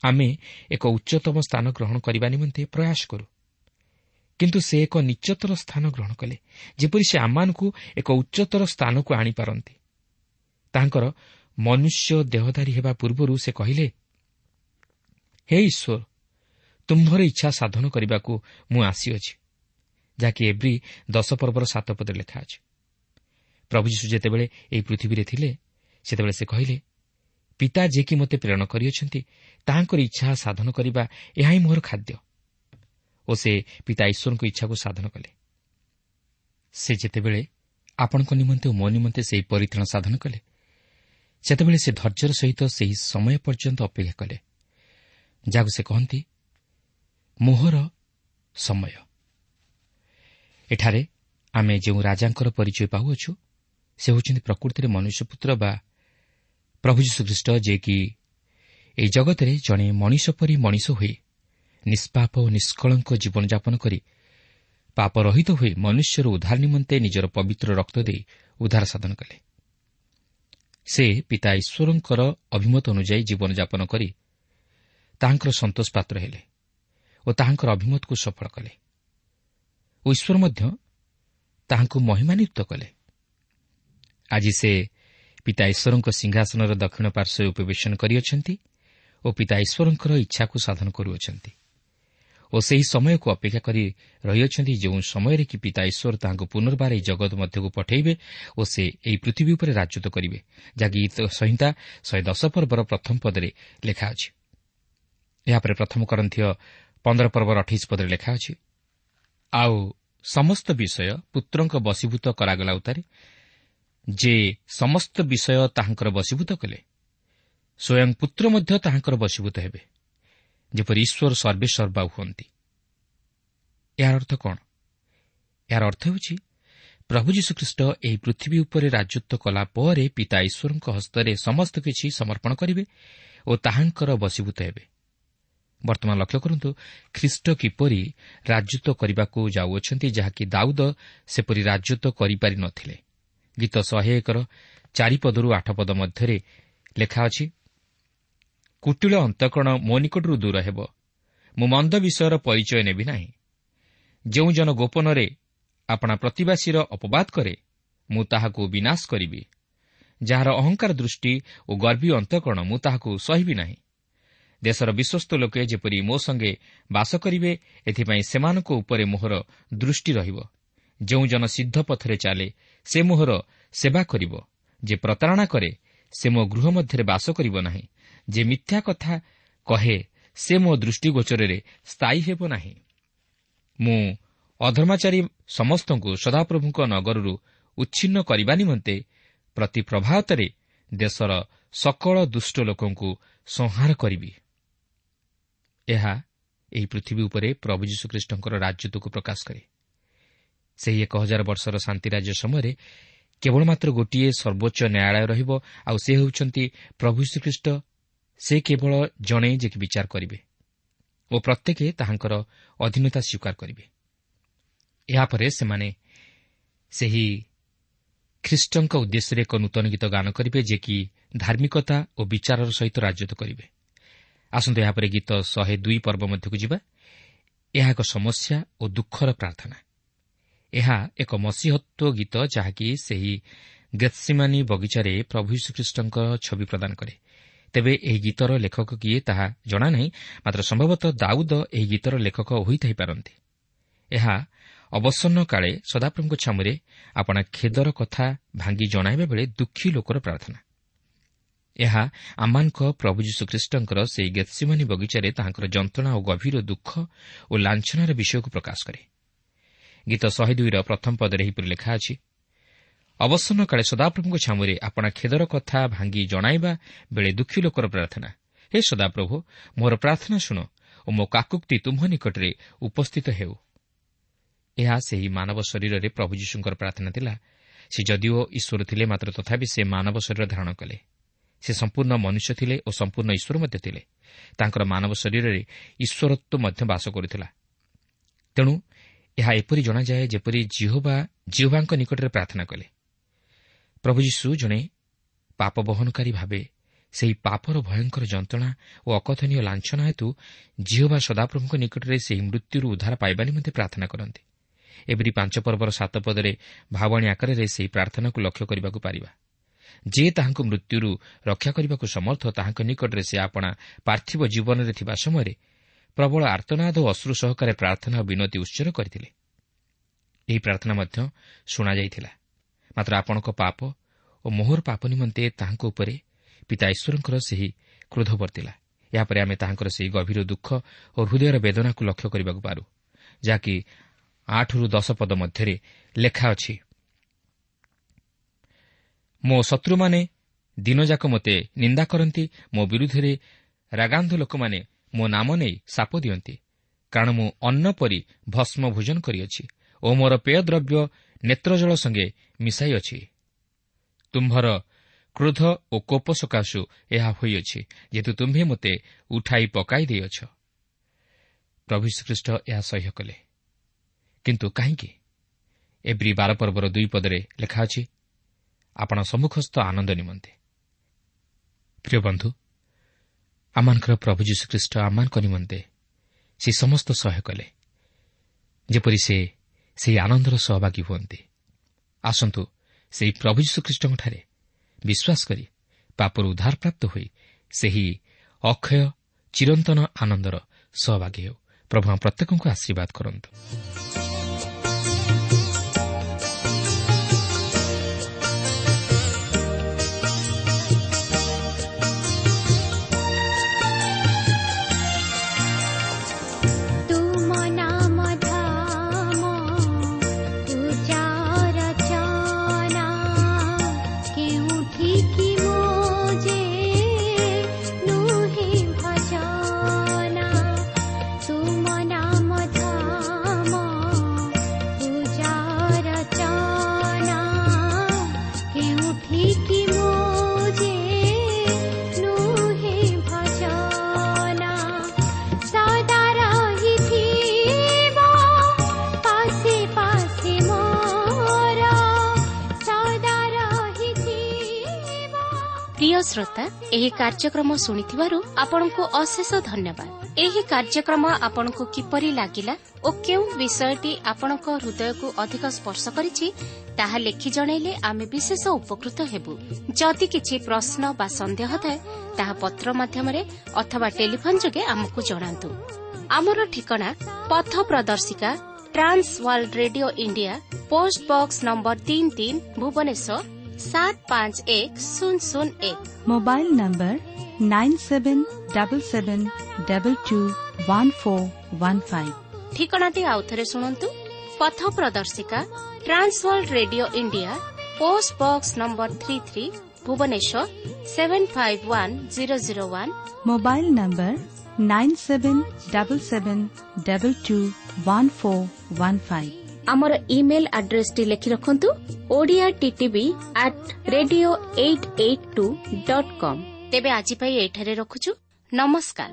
ଆମେ ଏକ ଉଚ୍ଚତମ ସ୍ଥାନ ଗ୍ରହଣ କରିବା ନିମନ୍ତେ ପ୍ରୟାସ କରୁ, କିନ୍ତୁ ସେ ଏକ ନିଚ୍ଚତର ସ୍ଥାନ ଗ୍ରହଣ କଲେ, ଯେପରି ସେ ଆମମାନଙ୍କୁ ଏକ ଉଚ୍ଚତର ସ୍ଥାନକୁ ଆଣିପାରନ୍ତି। ତାଙ୍କର ମନୁଷ୍ୟ ଦେହଧାରୀ ହେବା ପୂର୍ବରୁ ସେ କହିଲେ, ହେ ଈଶ୍ୱର, ତୁମ୍ଭର ଇଚ୍ଛା ସାଧନ କରିବାକୁ ମୁଁ ଆସିଅଛି, ଯାହାକି ଏବ୍ରୀ 10 ପର୍ବର 7 ପଦରେ ଲେଖା ଅଛି। ପ୍ରଭୁ ଯୀଶୁ ଯେତେବେଳେ ଏହି ପୃଥିବୀରେ ଥିଲେ, ସେତେବେଳେ ସେ କହିଲେ, ପିତା ଯିଏକି ମୋତେ ପ୍ରେରଣ କରିଅଛନ୍ତି, ତାହାଙ୍କର ଇଚ୍ଛା ସାଧନ କରିବା ଏହା ହିଁ ମୋର ଖାଦ୍ୟ। ଓ ସେ ପିତା ଈଶ୍ୱରଙ୍କ ଇଚ୍ଛାକୁ ସାଧନ କଲେ। ସେ ଯେତେବେଳେ ଆପଣଙ୍କ ନିମନ୍ତେ ଓ ମୋ ନିମନ୍ତେ ସେହି ପରିତ୍ରାଣ ସାଧନ କଲେ, ସେତେବେଳେ ସେ ଧୈର୍ଯ୍ୟର ସହିତ ସେହି ସମୟ ପର୍ଯ୍ୟନ୍ତ ଅପେକ୍ଷା କଲେ, ଯାହାକୁ ସେ କହନ୍ତି ମୋହର ସମୟ। ଏଠାରେ ଆମେ ଯେଉଁ ରାଜାଙ୍କର ପରିଚୟ ପାଉଅଛୁ, ସେ ହେଉଛନ୍ତି ପ୍ରକୃତିରେ ମନୁଷ୍ୟପୁତ୍ର ବା ପ୍ରଭୁ ଯୀଶୁଖ୍ରୀଷ୍ଟ, ଯିଏକି ଏହି ଜଗତରେ ଜଣେ ମଣିଷ ପରି ମଣିଷ ହୋଇ ନିଷ୍ପାପ ଓ ନିଷ୍କଳଙ୍କ ଜୀବନଯାପନ କରି ପାପରହିତ ହୋଇ ମନୁଷ୍ୟର ଉଦ୍ଧାର ନିମନ୍ତେ ନିଜର ପବିତ୍ର ରକ୍ତ ଦେଇ ଉଦ୍ଧାର ସାଧନ କଲେ। ସେ ପିତା ଈଶ୍ୱରଙ୍କର ଅଭିମତ ଅନୁଯାୟୀ ଜୀବନଯାପନ କରି ତାହାଙ୍କର ସନ୍ତୋଷ ପାତ୍ର ହେଲେ ଓ ତାହାଙ୍କର ଅଭିମତକୁ ସଫଳ କଲେ ଓ ଈଶ୍ୱର ମଧ୍ୟ ତାହାଙ୍କୁ ମହିମାନ୍ୱିତ କଲେ। ଆଜି ସେ ପିତା ଈଶ୍ୱରଙ୍କ ସିଂହାସନର ଦକ୍ଷିଣ ପାର୍ଶ୍ୱରେ ଉପବେଶନ କରିଅଛନ୍ତି ଓ ପିତା ଈଶ୍ୱରଙ୍କର ଇଚ୍ଛାକୁ ସାଧନ କରୁଅଛନ୍ତି ଓ ସେହି ସମୟକୁ ଅପେକ୍ଷା କରି ରହିଅଛନ୍ତି, ଯେଉଁ ସମୟରେ କି ପିତା ଈଶ୍ୱର ତାହାଙ୍କୁ ପୁନର୍ବାର ଏହି ଜଗତ ମଧ୍ୟକୁ ପଠାଇବେ ଓ ସେ ଏହି ପୃଥିବୀ ଉପରେ ରାଜତ୍ୱ କରିବେ, ଯାହାକି ଗୀତ ସଂହିତା 110 ପର୍ବର ପ୍ରଥମ ପଦରେ ଲେଖା ଅଛି। ଏହାପରେ ପ୍ରଥମ କରନ୍ଥୀୟ 15 ପର୍ବର 28 ପଦରେ ଲେଖା ଅଛି, ଆଉ ସମସ୍ତ ବିଷୟ ପୁତ୍ରଙ୍କ ବଶୀଭୂତ କରାଗଲା ଉତ୍ତାରେ ଯେ ସମସ୍ତ ବିଷୟ ତାହାଙ୍କର ବଶୀଭୂତ କଲେ, ସ୍ୱୟଂ ପୁତ୍ର ମଧ୍ୟ ତାହାଙ୍କର ବଶୀଭୂତ ହେବେ, ଯେପରି ଈଶ୍ୱର ସର୍ବେସର୍ବା ହୁଅନ୍ତି। ଏହାର ଅର୍ଥ କ'ଣ? ଏହାର ଅର୍ଥ ହେଉଛି ପ୍ରଭୁ ଯୀଶୁଖ୍ରୀଷ୍ଟ ଏହି ପୃଥିବୀ ଉପରେ ରାଜତ୍ୱ କଲା ପରେ ପିତା ଈଶ୍ୱରଙ୍କ ହସ୍ତରେ ସମସ୍ତ କିଛି ସମର୍ପଣ କରିବେ ଓ ତାହାଙ୍କର ବଶୀଭୂତ ହେବେ। ବର୍ତ୍ତମାନ ଲକ୍ଷ୍ୟ କରନ୍ତୁ, ଖ୍ରୀଷ୍ଟ କିପରି ରାଜତ୍ୱ କରିବାକୁ ଯାଉଅଛନ୍ତି, ଯାହାକି ଦାଉଦ ସେପରି ରାଜତ୍ୱ କରିପାରି ନଥିଲେ। ଗୀତ 101ର 4 ପଦରୁ 8 ପଦ ମଧ୍ୟରେ ଲେଖା ଅଛି, କୁଟିଳ ଅନ୍ତଃକରଣ ମୋ ନିକଟରୁ ଦୂର ହେବ, ମୁଁ ମନ୍ଦ ବିଷୟର ପରିଚୟ ନେବି ନାହିଁ। ଯେଉଁ ଜନ ଗୋପନରେ ଆପଣା ପ୍ରତିବାସୀର ଅପବାଦ କରେ, ମୁଁ ତାହାକୁ ବିନାଶ କରିବି। ଯାହାର ଅହଙ୍କାର ଦୃଷ୍ଟି ଓ ଗର୍ବୀ ଅନ୍ତଃକରଣ, ମୁଁ ତାହାକୁ ସହିବି ନାହିଁ। ଦେଶର ବିଶ୍ୱସ୍ତ ଲୋକେ ଯେପରି ମୋ ସଙ୍ଗେ ବାସ କରିବେ, ଏଥିପାଇଁ ସେମାନଙ୍କ ଉପରେ ମୋହର ଦୃଷ୍ଟି ରହିବ। ଯେଉଁ ଜନ ସିଦ୍ଧ ପଥରେ ଚାଲେ, ସେ ମୋହର ସେବା କରିବ। ଯେ ପ୍ରତାରଣା କରେ, ସେ ମୋ ଗୃହ ମଧ୍ୟରେ ବାସ କରିବ ନାହିଁ। ଯେ ମିଥ୍ୟା କଥା କହେ, ସେ ମୋ ଦୃଷ୍ଟିଗୋଚରରେ ସ୍ଥାୟୀ ହେବ ନାହିଁ। ମୁଁ ଅଧର୍ମାଚାରୀ ସମସ୍ତଙ୍କୁ ସଦାପ୍ରଭୁଙ୍କ ନଗରରୁ ଉଚ୍ଛିନ୍ନ କରିବା ନିମନ୍ତେ ପ୍ରତି ପ୍ରଭାତରେ ଦେଶର ସକଳ ଦୁଷ୍ଟ ଲୋକଙ୍କୁ ସଂହାର କରିବି। ଏହା ଏହି ପୃଥିବୀ ଉପରେ ପ୍ରଭୁ ଯୀଶୁଖ୍ରୀଷ୍ଟଙ୍କର ରାଜତ୍ୱକୁ ପ୍ରକାଶ କରେ। ସେହି 1000 ବର୍ଷର ଶାନ୍ତି ରାଜ୍ୟ ସମୟରେ କେବଳ ମାତ୍ର ଗୋଟିଏ ସର୍ବୋଚ୍ଚ ନ୍ୟାୟାଳୟ ରହିବ, ଆଉ ସେ ହେଉଛନ୍ତି ପ୍ରଭୁ ଯୀଶୁଖ୍ରୀଷ୍ଟ। ସେ କେବଳ ଜଣେ ଯିଏକି ବିଚାର କରିବେ ଓ ପ୍ରତ୍ୟେକ ତାହାଙ୍କର ଅଧୀନତା ସ୍ୱୀକାର କରିବେ। ଏହାପରେ ସେମାନେ ସେହି ଖ୍ରୀଷ୍ଟଙ୍କ ଉଦ୍ଦେଶ୍ୟରେ ଏକ ନୂତନ ଗୀତ ଗାନ କରିବେ, ଯିଏକି ଧାର୍ମିକତା ଓ ବିଚାରର ସହିତ ରାଜତ୍ୱ କରିବେ। ଆସନ୍ତୁ ଏହାପରେ ଗୀତ 102 ପର୍ବ ମଧ୍ୟକୁ ଯିବା। ଏହା ଏକ ସମସ୍ୟା ଓ ଦୁଃଖର ପ୍ରାର୍ଥନା। ଏହା ଏକ ମସିହତ୍ୱ ଗୀତ, ଯାହାକି ସେହି ଗେତ୍ସିମାନି ବଗିଚାରେ ପ୍ରଭୁ ଯୀଶୁଖ୍ରୀଷ୍ଟଙ୍କ ଛବି ପ୍ରଦାନ କରେ। ତେବେ ଏହି ଗୀତର ଲେଖକ କିଏ ତାହା ଜଣାନାହିଁ, ମାତ୍ର ସମ୍ଭବତଃ ଦାଉଦ ଏହି ଗୀତର ଲେଖକ ହୋଇଥାଇପାରନ୍ତି। ଏହା ଅବସନ୍ନ କାଳେ ସଦାପ୍ରଭୁଙ୍କ ଛାମୁରେ ଆପଣା ଖେଦର କଥା ଭାଙ୍ଗି ଜଣାଇବା ବେଳେ ଦୁଃଖୀ ଲୋକର ପ୍ରାର୍ଥନା। ଏହା ଆମମାନଙ୍କ ପ୍ରଭୁ ଯୀଶୁଖ୍ରୀଷ୍ଟଙ୍କର ସେହି ଗେତ୍ସିମାନି ବଗିଚାରେ ତାହାଙ୍କର ଯନ୍ତ୍ରଣା ଓ ଗଭୀର ଦୁଃଖ ଓ ଲାଞ୍ଛନାର ବିଷୟକୁ ପ୍ରକାଶ କରେ। ଗୀତ 102ର ପ୍ରଥମ ପଦରେ ଏହିପରି ଲେଖା ଅଛି, ଅବସନ୍ନ କାଳେ ସଦାପ୍ରଭୁଙ୍କ ଛାମୁରେ ଆପଣା ଖେଦର କଥା ଭାଙ୍ଗି ଜଣାଇବା ବେଳେ ଦୁଃଖୀ ଲୋକର ପ୍ରାର୍ଥନା। ହେ ସଦାପ୍ରଭୁ, ମୋର ପ୍ରାର୍ଥନା ଶୁଣ ଓ ମୋ କାକୁକ୍ତି ତୁମ୍ଭ ନିକଟରେ ଉପସ୍ଥିତ ହେଉ। ଏହା ସେହି ମାନବ ଶରୀରରେ ପ୍ରଭୁ ଯୀଶୁଙ୍କର ପ୍ରାର୍ଥନା ଥିଲା। ସେ ଯଦିଓ ଈଶ୍ୱର ଥିଲେ, ମାତ୍ର ତଥାପି ସେ ମାନବ ଶରୀର ଧାରଣ କଲେ। ସେ ସମ୍ପୂର୍ଣ୍ଣ ମନୁଷ୍ୟ ଥିଲେ ଓ ସମ୍ପୂର୍ଣ୍ଣ ଈଶ୍ୱର ମଧ୍ୟ ଥିଲେ। ତାଙ୍କର ମାନବ ଶରୀରରେ ଈଶ୍ୱରତ୍ୱ ମଧ୍ୟ ବାସ କରୁଥିଲା। ତେଣୁ ଏହା ଏପରି ଜଣାଯାଏ ଯେପରି ଜିହୋବା ଜିହୋବାଙ୍କ ନିକଟରେ ପ୍ରାର୍ଥନା କଲେ। ପ୍ରଭୁ ଯୀଶୁ ଜଣେ ପାପ ବହନକାରୀ ଭାବେ ସେହି ପାପର ଭୟଙ୍କର ଯନ୍ତ୍ରଣା ଓ ଅକଥନୀୟ ଲାଞ୍ଛନା ହେତୁ ଜିହୋବା ସଦାପ୍ରଭୁଙ୍କ ନିକଟରେ ସେହି ମୃତ୍ୟୁରୁ ଉଦ୍ଧାର ପାଇବା ନିମନ୍ତେ ପ୍ରାର୍ଥନା କରନ୍ତି। ଏବ୍ରୀ 5 ପର୍ବର 7 ପଦରେ ଭାବଣୀ ଆକାରରେ ସେହି ପ୍ରାର୍ଥନାକୁ ଲକ୍ଷ୍ୟ କରିବାକୁ ପାରିବା। ଯେ ତାହାଙ୍କୁ ମୃତ୍ୟୁରୁ ରକ୍ଷା କରିବାକୁ ସମର୍ଥ, ତାହାଙ୍କ ନିକଟରେ ସେ ଆପଣା ପାର୍ଥିବ ଜୀବନରେ ଥିବା ସମୟରେ ପ୍ରବଳ ଆର୍ତ୍ତନାଦ ଓ ଅଶ୍ରୁ ସହକାରେ ପ୍ରାର୍ଥନା ଓ ବିନତି ଉତ୍ସର୍ଗ କରିଥିଲେ। ଏହି ପ୍ରାର୍ଥନା ମଧ୍ୟ ଶୁଣାଯାଇଥିଲା। ମାତ୍ର ଆପଣଙ୍କ ପାପ ଓ ମୋହର ପାପ ନିମନ୍ତେ ତାହାଙ୍କ ଉପରେ ପିତା ଈଶ୍ୱରଙ୍କର ସେହି କ୍ରୋଧ ବର୍ତ୍ତିଲା। ଏହାପରେ ଆମେ ତାହାଙ୍କର ସେହି ଗଭୀର ଦୁଃଖ ଓ ହୃଦୟର ବେଦନାକୁ ଲକ୍ଷ୍ୟ କରିବାକୁ ପାରୁ, ଯାହାକି 8ରୁ 10 ପଦ ମଧ୍ୟରେ ଲେଖା ଅଛି। ମୋ ଶତ୍ରୁମାନେ ଦିନଯାକ ମୋତେ ନିନ୍ଦା କରନ୍ତି, ମୋ ବିରୁଦ୍ଧରେ ରାଗାନ୍ଧ ଲୋକମାନେ ମୋ ନାମ ନେଇ ସାପ ଦିଅନ୍ତି, କାରଣ ମୁଁ ଅନ୍ନ ପରି ଭସ୍ମ ଭୋଜନ କରିଅଛି ଓ ମୋର ପେୟଦ୍ରବ୍ୟ ନେତ୍ରଜଳ ସଙ୍ଗେ ମିଶାଇଅଛି। ତୁମ୍ଭର କ୍ରୋଧ ଓ କୋପ ସକାଶୁ ଏହା ହୋଇଅଛି, ଯେହେତୁ ତୁମ୍ଭେ ମୋତେ ଉଠାଇ ପକାଇ ଦେଇଅଛ। ପ୍ରଭୁ ଯୀଶୁଖ୍ରୀଷ୍ଟ ଏହା ସହ୍ୟ କଲେ, କିନ୍ତୁ କାହିଁକି? ଏବ୍ରୀ 12 ପର୍ବର 2 ପଦରେ ଲେଖା ଅଛି, ଆପଣ ସମ୍ମୁଖସ୍ଥ ଆନନ୍ଦ ନିମନ୍ତେ। ପ୍ରିୟ ବନ୍ଧୁ, ଆମମାନଙ୍କର ପ୍ରଭୁ ଯୀଶୁଖ୍ରୀଷ୍ଟ ଆମମାନଙ୍କ ନିମନ୍ତେ ସେ ସମସ୍ତ ସହ୍ୟ କଲେ, ଯେପରି ସେ ସେହି ଆନନ୍ଦର ସହଭାଗୀ ହୁଅନ୍ତି। ଆସନ୍ତୁ ସେହି ପ୍ରଭୁ ଯୀଶୁଖ୍ରୀଷ୍ଟଙ୍କଠାରେ ବିଶ୍ୱାସ କରି ପାପରୁ ଉଦ୍ଧାରପ୍ରାପ୍ତ ହୋଇ ସେହି ଅକ୍ଷୟ ଚିରନ୍ତନ ଆନନ୍ଦର ସହଭାଗୀ ହେଉ। ପ୍ରଭୁ ଆମ ପ୍ରତ୍ୟେକଙ୍କୁ ଆଶୀର୍ବାଦ କରନ୍ତୁ। ପ୍ରିୟ ଶ୍ରୋତା, ଏହି କାର୍ଯ୍ୟକ୍ରମ ଶୁଣିଥିବାରୁ ଆପଣଙ୍କୁ ଅଶେଷ ଧନ୍ୟବାଦ। ଏହି କାର୍ଯ୍ୟକ୍ରମ ଆପଣଙ୍କୁ କିପରି ଲାଗିଲା ଓ କେଉଁ ବିଷୟଟି ଆପଣଙ୍କ ହୃଦୟକୁ ଅଧିକ ସ୍ପର୍ଶ କରିଛି ତାହା ଲେଖି ଜଣାଇଲେ ଆମେ ବିଶେଷ ଉପକୃତ ହେବୁ। ଯଦି କିଛି ପ୍ରଶ୍ନ ବା ସନ୍ଦେହ ଥାଏ ତାହା ପତ୍ର ମାଧ୍ୟମରେ ଅଥବା ଟେଲିଫୋନ୍ ଯୋଗେ ଆମକୁ ଜଣାନ୍ତୁ। ଆମର ଠିକଣା ପଥ ପ୍ରଦର୍ଶିକା, Trans World Radio India, post box number 33, Bhubaneswar 751001। Mobile number 9777221415। ଠିକଣାଟି ଆଉଥରେ ଶୁଣନ୍ତୁ। ପଥ ପ୍ରଦର୍ଶିକା, Trans World Radio India, post box number 33, Bhubaneswar 751001। Mobile number 9777221415। ଆମର ଇମେଲ୍ ଆଡ୍ରେସଟି ଲେଖି ରଖନ୍ତୁ, Odia TTV at radio 882.com। ତେବେ ଆଜି ପାଇଁ ଏଠାରେ ରଖୁଛୁ। ନମସ୍କାର।